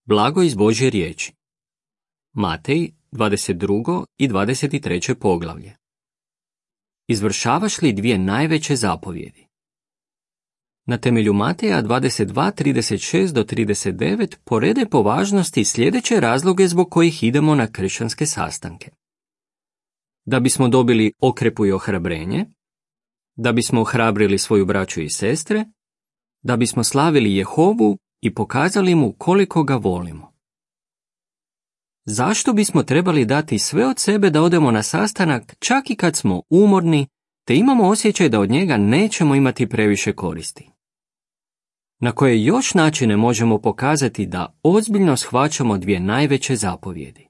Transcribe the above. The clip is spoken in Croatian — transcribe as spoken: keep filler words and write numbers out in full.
Blago iz Božje riječi. Matej, dvadeset drugo i dvadeset treće poglavlje. Izvršavaš li dvije najveće zapovjedi? Na temelju Mateja dvadeset dva, trideset šest do trideset devet porede po važnosti sljedeće razloge zbog kojih idemo na kršćanske sastanke. Da bismo dobili okrepu i ohrabrenje, da bismo ohrabrili svoju braću i sestre, da bismo slavili Jehovu i pokazali mu koliko ga volimo. Zašto bismo trebali dati sve od sebe da odemo na sastanak čak i kad smo umorni, te imamo osjećaj da od njega nećemo imati previše koristi? Na koje još načine možemo pokazati da ozbiljno shvaćamo dvije najveće zapovjedi?